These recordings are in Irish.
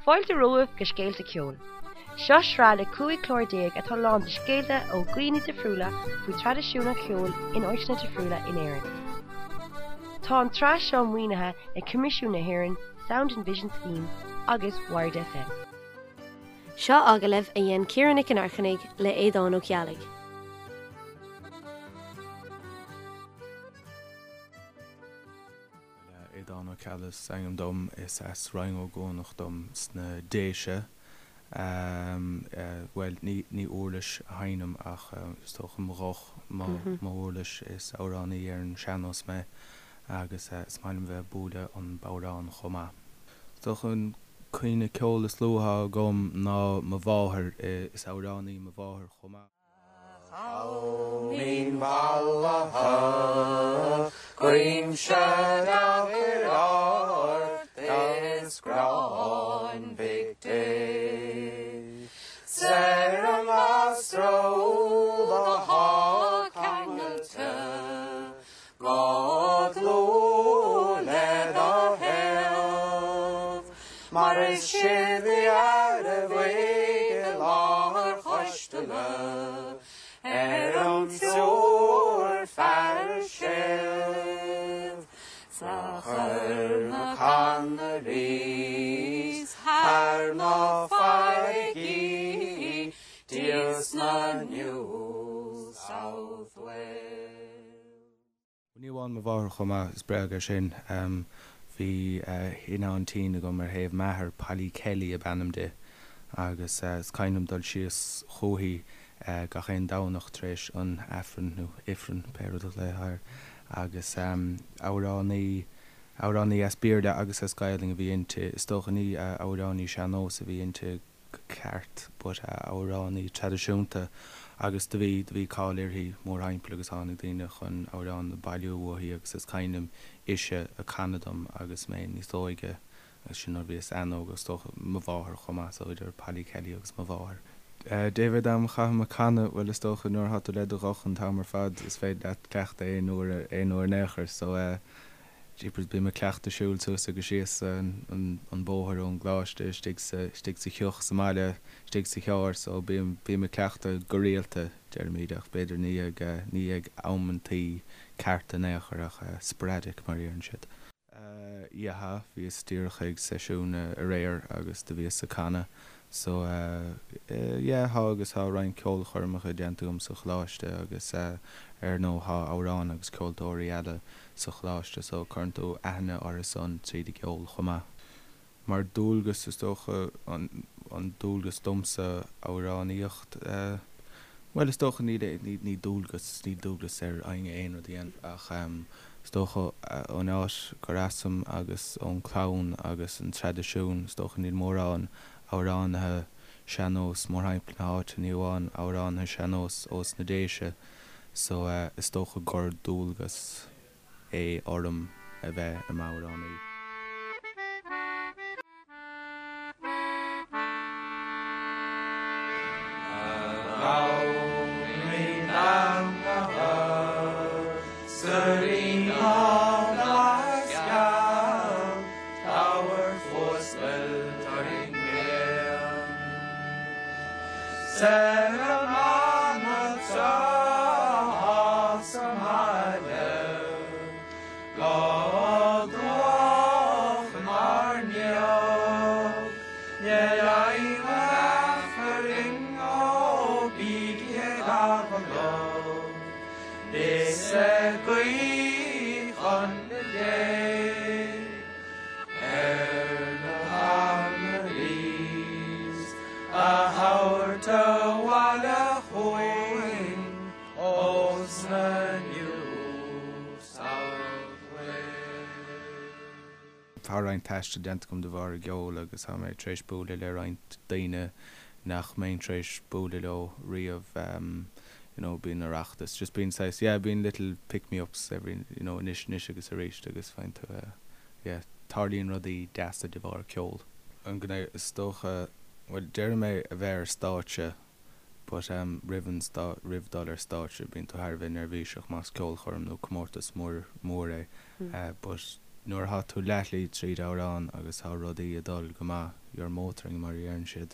Fáilte romhaibh go Scéalta Ceoil. Seo sraith le 15 clár atá lán de scéalta ó dhaoine difriúla faoi traidisiún an cheoil in áiteanna difriúla in Éirinn. Tá an tsraith seo maoinithe ag Coimisiún na hÉireann, Sound and Vision Scheme agus Wired FM. Seo agallamh a dhein Ciara Nic an Airchinnigh le Aodán Ó Ceallaigh. Aodán Ó Ceallaigh is ainm dom. Is as Rinn Ó gCuanach dom sna Déise. Bhuel, ní ní uirlis a sheinnim ach is dócha mo ghuth mo mo uirlis. Is amhránaí ar an sean-nós mé agus is maith liom bheith ag bualadh an bodhrán chomh maith. Is dócha an cuimhne ceoil is luaithe atá agam ná mo mháthair. Is amhránaí mo mháthair chomh maith. Mín mhallaithe, guímse deacair ort is gráin Mhic Dé. 'S ar an ngasra úd athá ceangailte go dlúth le do thaobh, mar is sibh fhear a bhuig i lár Choisteala ar an triúr fear sibh 's a chuir na Connerys thar na farraigí dtíos na New South Wales. Ní amháin mo mháthair chomh maith, is bréag é sin. Bhí seanaintín agam ar thaobh m'athar, Polly Kelly ab ainm di, agus is cuimhin liom dul síos chúithi gach aon Domhnach tar éis an Aifrinn, nó Ifrinn, pé rud a ghlaofá air, agus amhránaí, amhránaí as Béarla agus as Gaelainn a bhí inti. Is dócha ní amhránaí sean-nós a bhí inti. go ceart but amhránaí traidisiúnta agus do bhí, do bhí cáil uirthi mórthimpeall agus tháinig daoine chun amhráin a bailiú uaithi agus is cuimhin liom ise ag canadh dom agus mé níos óige agus sin nuair a bhíos an-óg is dócha mo mháthair chomh maith so idir Polly Kelly agus mo mháthair. Dé mhéad am a chaithim ag canadh, bhuel is dócha nuair atá tú le do ghuth an t-am ar fad is féidir leat cleachtadh aon uair, aon uair in aon chor so eh Jeepers, bím ag cleachtadh siúl suas agus síos an bóthar ón gcoláiste istigh sa, istigh sa theach sa mbaile, istigh sa charr so bím, bím ag cleachtadh go rialta, deirimid, ach b'fhéidir ní ag, ní ag amantaí cearta in aon chor ach sporadic mar a deireann siad. Yeah, bhíos díreach ag seisiún aréir agus do bhíos ag canadh so yeah tá agus tá roinnt ceolchoirmeacha déanta agam sa choláiste agus ar ndóigh tá amhráin agus ceoltóirí eile sa choláiste so cuireann tú aithne orthu san tríd an gceol chomh maith. Mar dualgas is dócha, an dualgas domsa amhránaíocht, bhuel is dócha níl, ní dualgas, níl dualgas ar éinne aon rud a dhéanamh ach is dócha ón áit gur asam agus ón clann agus an traidisiún is dócha níl mórán amhránaithe sean-nós mórthimpeall na háite, ní amháin amhránaithe sean-nós ós na Déise. So is dócha gur dualgas é orm a bheith i m'amhránaí. A ghamhnaí beannaithe 's a ríona glas geal, tabhair fuascailt orainn féin. 'S ar an mbanaltra atá sa mbaile go dubhach inár ndiaidh, níl aon aifreann ó bígí ag agallamh is ag guí chun Dé. Ar na Connerys a thabhairt abhaile chugainn ós na New South Wales. Tá roinnt taistil déanta agam de bharr an gceoil agus tá mé tar éis bualadh le roinnt daoine nach mbeinn tar éis bualadh leo riamh you know bíonn Oireachtas just bíonn saghas yeah bíonn little pick me ups every you know anois anois agus arís agus faigheann tú eh yeah tarlaíonn rudaí deasa de bharr ceol. An gné is dócha bhuel déarfaidh mé a bheith ar stáitse but em roimh an stá roimh dul ar stáitse bíonn tú thar a bheith neirbhíseach más ceolchoirm nó comórtas mór mór é eh but nuair atá tú leathshlí tríd amhrán agus tá rudaí ag dul go maith. you're motoring mar a deireann siad.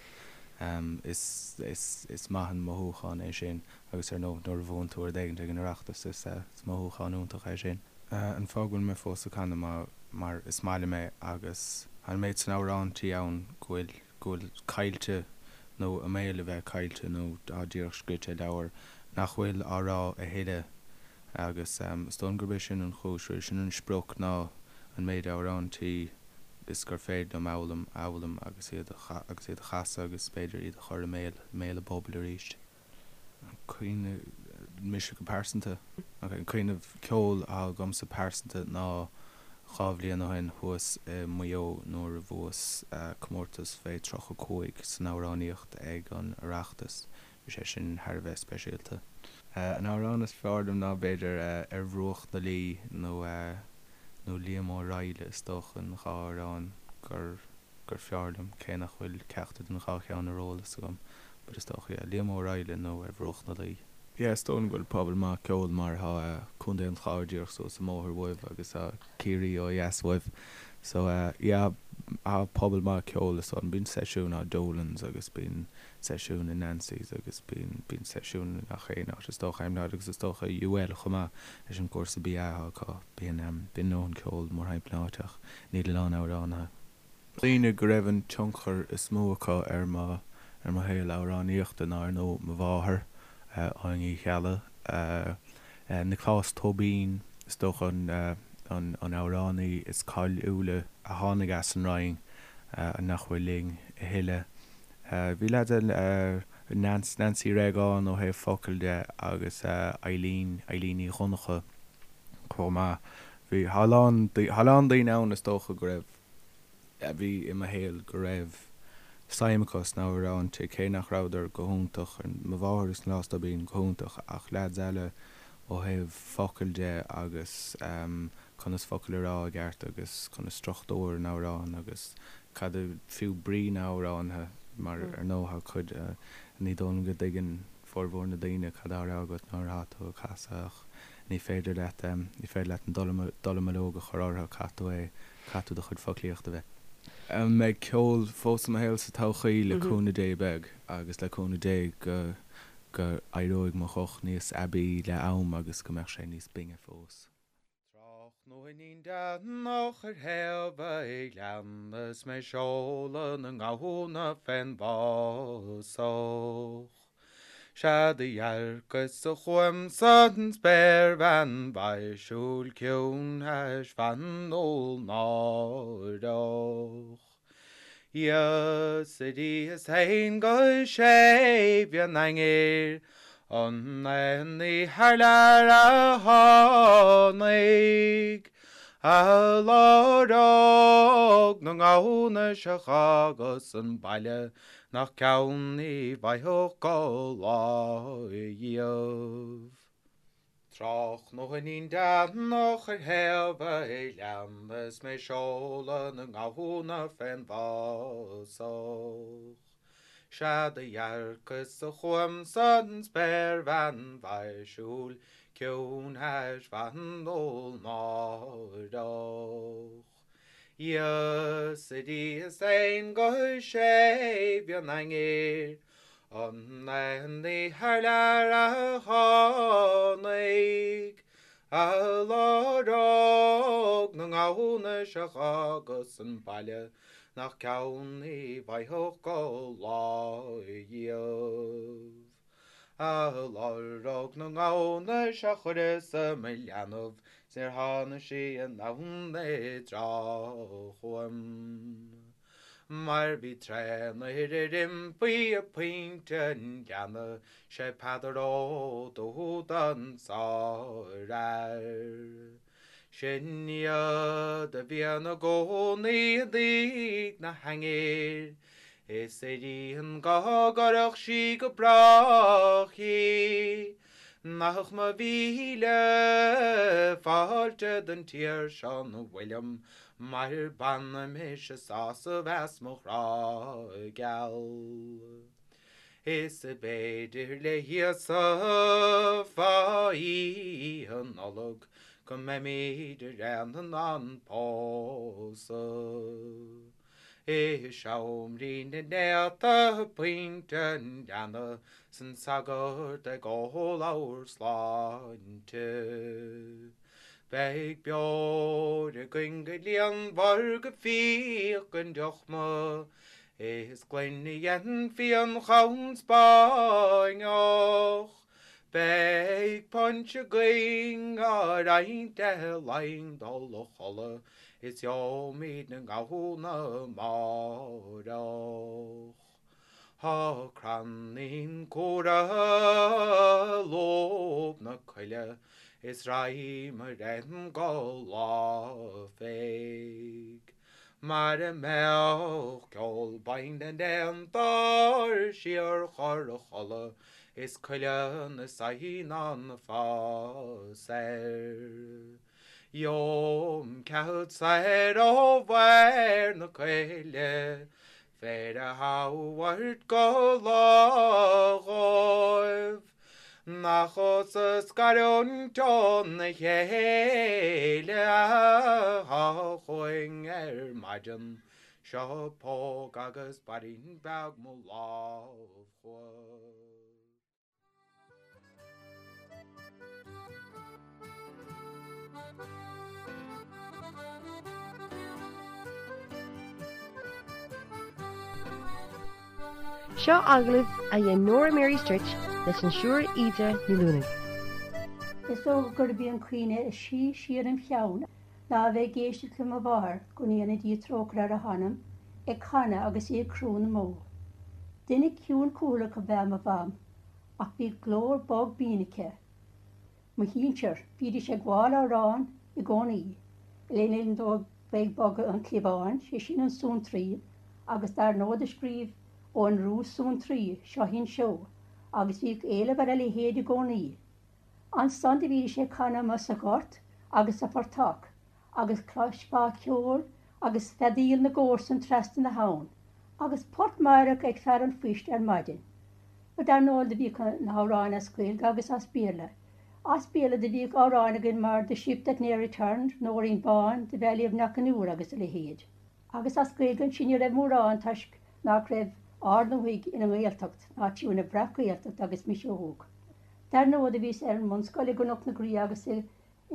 Is, is, is maith an mothúchán é sin agus ar ndóigh nuair a bhuann tú rud éigin ag an Oireachtas is, is mothúchán iontach é sin. An fáth go bhfuil mé fós ag canadh ná mar is maith liom é agus an méid san amhráintí ann go bhfuil, go bhfuil caillte nó i mbaol a bheith caillte nó atá díreach scríte i leabhar nach bhfuil á rá a thuilleadh agus is dóigh liom gurb é sin an chúis, sin an sprioc ná an méid amhráintí is gur féidir liom a fhoghlaim a fhoghlaim agus iad a agus iad a chasadh agus b'fhéidir iad a chur i mbéal i mbéal an phobail arís. An cuimhne, mise go pearsanta, ok, an cuimhneamh ceoil atá agamsa pearsanta ná 2 bhliain ó shin thuas i Maigh Eo nuair a bhuas comórtas fé 35 san amhránaíocht ag an Oireachtas. Bhí sé sin thar a bheith speisialta. An amhrán is fearr liom ná b'fhéidir Ar Bhruach na Laoi nó nó Liam Ó Raghallaigh is dócha an dhá amhrán gur gur fearr liom, cé nach bhfuil ceachtar den dhá cheann ar eolas agam, but is dócha, yeah, Liam Ó Raghallaigh nó Ar Bhruach na Laoi. Yeah, is dóigh liom go bhfuil pobal maith ceoil mar tá Contae an Chláir díreach suas an mbóthar uaibh agus tá Ciarraí ó dheas uaibh. So yeah, tá pobal maith ceoil is dóigh liom. Bíonn seisiúin á Dolan's agus bíonn seisiúin i Nancy's agus bíonn bíonn seisiúin i ngach aon áit is dócha, I'm not agus is dócha UL chomh maith leis an gcúrsa BA atá acu. Bíonn bíonn a ndóthain ceoil mórthimpeall na háite ach níl a lán amhránaithe. Daoine go raibh an tionchar is mó acu ar mo ar mo shaol amhránaíochta ná ar ndóigh mo mháthair, Áine Uí Cheallaigh, Nioclás Tóibín, is dócha an an an amhránaí is cáiliúla a tháinig as an Rinn nach bhfuil linn a thuilleadh. Bhí leaids eile, Nance, Nancy Réagán ó thaobh focal de agus Eileen, Eileen Ní Dhonncha chomh maith. Bhí, tá a lán, tá a lán daoine ann is dócha go raibh, a bhí i mo shaol go raibh suim acu sna hamhráinte, cé nach rabhadar go hiontach, mo mháthair agus Nioclás Tóibín go hiontach ach leaids eile ó thaobh focal de agus conas focail a rá i gceart agus conas struchtúr an amhráin agus cad a fiú brí na n-amhráinthe mar ar ndóigh tá cuid ní dóigh liom go dtuigeann formhór na daoine cad á rá agat nuair atá tú ag casadh ach ní féidir leat ní féidir leat an dallamullóg a chur orthu caithfidh tú é caithfidh tú do chuid foclaíochta a bheith. An mbeidh ceol fós i mo shaol sa todhchaí? Le cúnamh Dé beidh agus le cúnamh Dé go go éireoidh mo ghuth níos aibí le am agus go mbeadh sé níos binne fós. Tráthnóinín déanach ar thaobh an ghleanna is mé ag seoladh na ngamhna fén bhfásach. Sea do dhearcas-sa chugamsa an spéirbhean mhaisiúil ciúin thaisbheanúil náireach. Is a ríos fhéin go séimh an aingil an aon ní thar lear a tháinig a lorg na ngamhna seo dh'fhágas an baile nach ceann ní bhfaigheadh go lá dhíobh. Tráthnóinín déanach ar thaobh an ghleanna is mé ag seoladh na ngamhna fén bhfásach. Sea do dhearcas-sa chugamsa an spéirbhean mhaisiúil ciúin thaisbheanúil náireach. Is a ríos fhéin go séimh an aingil an aon ní thar lear a tháinig a lorg na ngamhna seo dh'fhágas an baile nach ceann ní bhfaigheadh go lá dhíobh. A lorg na ngamhna seo chuireas-sa mo leanbh 's níor tháinig sí anonn i dtráth chugam. Mar bhí tréan-fhir ar iompaigh ag pointe an ghleanna 'sé Peadar Ó Dúda an sárfhear. Sin iad a bhí ina gcónaí i dtigh na haingil, is a ríon go gcuirfeadh sí go brách í. Nach mo mhíle fáilte don tír seo 'na bhfuilim, mar bainim mise sásamh as mo ghrá geal. Is b'fhéidir le hÍosa fá Oíche Nollag go mbeimid araon in ann pósadh. I seomraí na néata, punt an leanna 's an sagart ag ól ár sláinte. Beidh beoir againn go líonmhar go fiach an deochma is gloine a dhein fíonchaon Spáinneach. Beidh punch againn á roinnt le linn dul a chodladh is gheobhaimid na gamhna amáireach. Tá crannaín cumhra i lúb na coille is raghaidh mo réim go lá féich. Mara mbeadh ceol binn na n-éan dár síorchur a chodladh is coille na n-eidhneán fás air. Gheobhaim cead soir ó bharr na coille féar a thabhairt go lá dhóibh. Nach thusa a scarúint óna chéile atá chugainn ar maidin, seo póg agus bairín beag mo lámh chugat. Seo agallamh a dhein Nóra Mary Stritch leis an Siúr Íde Ní Luanaigh. Is dócha gurb í an chuimhne is sia siar im cheann ná a bheith ag éisteacht le mo mháthair, go ndéana Dia trócaire ar a hanam, ag canadh agus í ag crú na mbó. Duine ciúin cúthaileach ab ea mo mham, ach bhí glór bog binn aici. Mo shinsir, bhídís ag gabháil amhrán i gcónaí, le linn dóibh bheith ag bogadh an chliabháin, sé sin an suantraí, agus dar ndóigh do scríobh Eoghan Rua Suantraí, Seo Thinn Seó, agus bhíodh éileamh ar a leithéid i gcónaí. Ansan do bhídís ag canadh amuigh sa ghort agus sa phortach, agus chloisfeá ceol agus feadaíl na gcomharsan trasna na habhann, agus port meidhreach ag fear an phoist ar maidin. Bhuel, dar ndóigh, do bhíodh na hamhráin as Gaeilge agus as Béarla. As Béarla do bhíodh amhráin againn mar The Ship That Ne'er Returned, Nóirín Bán, The Valley of Knockanure agus a leithéid. Agus as Gaeilge ansin ní raibh mórán toisc nach raibh ár ndúthaigh ina nGaeltacht ná fiú ina bhreac-Ghaeltacht agus mise óg. Dar ndóigh do bhíos ar an mbunscoil i gCnoc na Graí agus i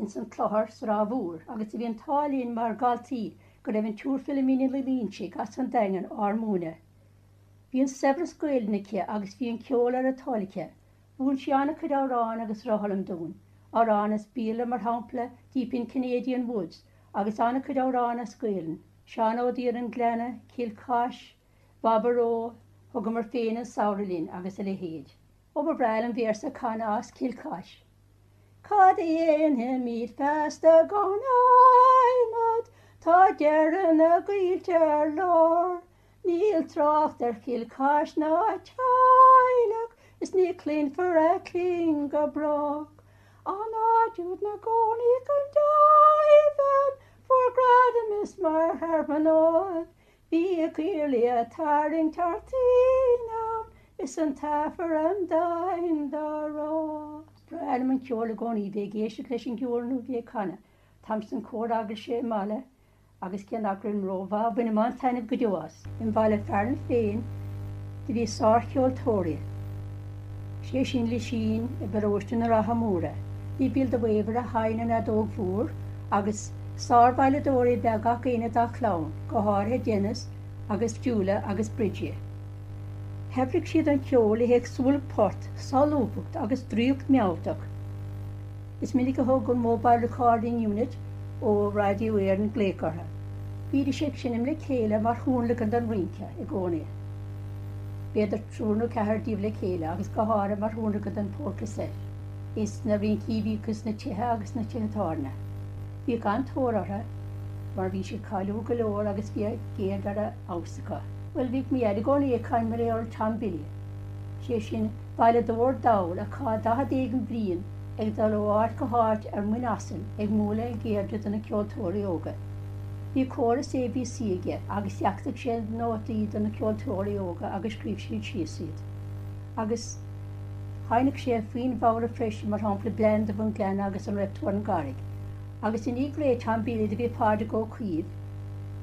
ins an Clochar sa Ráth Mhór agus do bhí an t-ádh linn mar dhaltaí go raibh an tSiúr Philomena Ní Loinsigh as an Daingean ár múineadh. Bhí an saibhreas Gaelainne aici agus bhí an ceol ar a toil aici. Mhúin sí an-chuid amhrán agus rothlaim dúinn, amhráin as Béarla mar shampla Deep in Canadian Woods agus an-chuid amhrán as Gaelainn, Seán Ó Daoir an Gleanna, Cill Chais, Baboró, Thugamar féin an samhradh linn agus a leithéid. Ó ba bhreá liom véarsa a chanadh as Cill Chais. Cad a dhéanfaimid feasta gan adhmad, tá deireadh na gcoillte ar lár, Níl trácht ar Chill Chais ná a teaghlach is ní chluinfear a cling go brách. An áit úd 'na gcónaíodh an deilbhean fuair gradam is mar shearmanóid, Bhíodh iarlaí a' tarraingt thart in am is an tAifreann deimhin dá rá. Is breá liom an ceol i gcónaí, bheith ag éisteacht leis an gceol nó bheith ag canadh. Táim san cór eaglaise i mbaile agus cé nach raibh rómhaith, bhainim an-taitneamh go deo as. I mbaile fearainn féin do bhí sárcheoltóirí, sé sin Lisín i bparóiste na Rátha Móire, bhí Bill de Weaver a sheinn an fheadóg mhór agus Sárveidhleadóirí ab ea gach éinne dá chlann, go háirithe Denis agus Julia agus Bridgie. Shaibhrigh siad an ceol le héagsúlacht port, solúbthacht agus draíocht mealltach. Is minic a thug an Mobile Recording Unit ó Radio Éireann glaoch orthu. Bhídís ag seinm le chéile mar thionlacan don rince i gcónaí. B'fhéidir triúr nó ceathrar díobh le chéile agus go háirithe mar thionlacan don Polka Set. Ins na rincí a bhíodh ins na tithe agus sna tithe tábhairne. Bhíodh an-tóir orthu mar bhí siad cáiliúil go leor agus bhí a gceird ar fheabhas acu. Bhuel, bhíodh mo dhaid i gcónaí ag caint mar gheall ar Tom Billy, sé sin, veidhleadóir dall a chaith 40 éigin bliain ag dul ó áit go háit ar muin asail ag múineadh a cheirde do na ceoltóirí óga. Bhí córas ABC aige agus dheachtaigh sé nótaí do na ceoltóirí óga agus scríobh siad síos iad. Agus sheinneadh sé foinn mhóra freisin, mar shampla Blean Dubh an Ghleanna agus An Raibh Tú ar an gCarraig. Agus i ndiaidh ré Tom Billy do bhí Pádraig Ó Caoimh.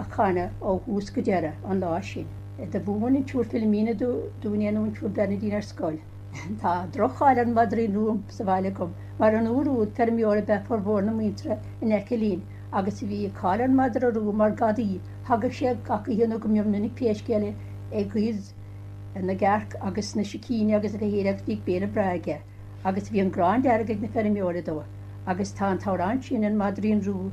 a chanadh ó thús go deireadh an lá sin. Do mhúin an tSiúr Philomena dúinn é nó an tSiúr Bernadine ar scoil. Tá droch-cháil ar an Mhadraín Rua sa bhaile agam, mar an uair úd feirmeoirí ab ea formhór na muintire in aice linn agus bhí cáil ar an Madra Rua mar gadaí, thagadh sé gach oíche nó go mion minic pé scéal é ag goid na gcearc agus na sicíní agus a leithéid agus bhíodh béile breá aige agus bhí an gráin dearg ag na feirmeoirí dó agus tá an t-amhrán sin, An Maidrín Rua,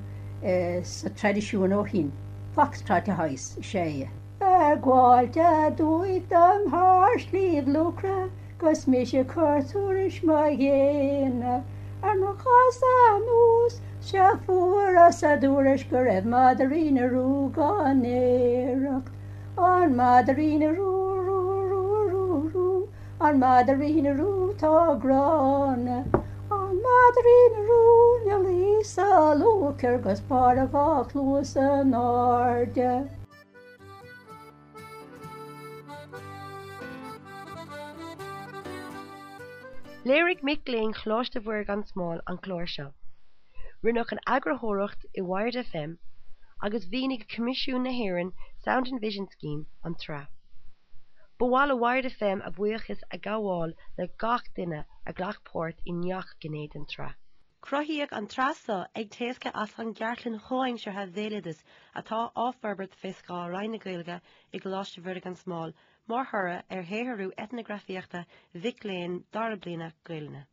sa traidisiún ó shin. Foxtrot a shaghas is ea é. Ag gabháilt aduaidh dom thar Shliabh Luachra 'gus mise ag cur tuairisc mo ghéine ar mo chasadh anuas 'sea fuaireas a dtuairisc go raibh maidrín rua gan iarracht. An maidrín rua, rua, rua, rua, rua, an maidrín rua tá gránna. An maidrín rua 'na luí sa luachair 'gus barr a dhá chluas in airde. Léirigh mic léinn Choláiste Mhuire gan Smál an clár seo. Rinneadh an eagarthóireacht i Wired FM agus mhaoinigh Coimisiún na hÉireann Sound and Vision Scheme an tsraith. Ba mhaith le Wired FM a bhuíochas a ghabháil le gach duine a ghlac páirt i ngach gné den tsraith. Cruthaíodh an tsraith seo ag éascairt as an gCartlann Chomhaimseartha Bhéaloideas atá á forbairt fé scáth Roinn na Gaeilge i gColáiste Mhuire gan Smál mar thoradh ar shaothrú eitneagrafaíochta mhic léinn dara bliana Gaelainne.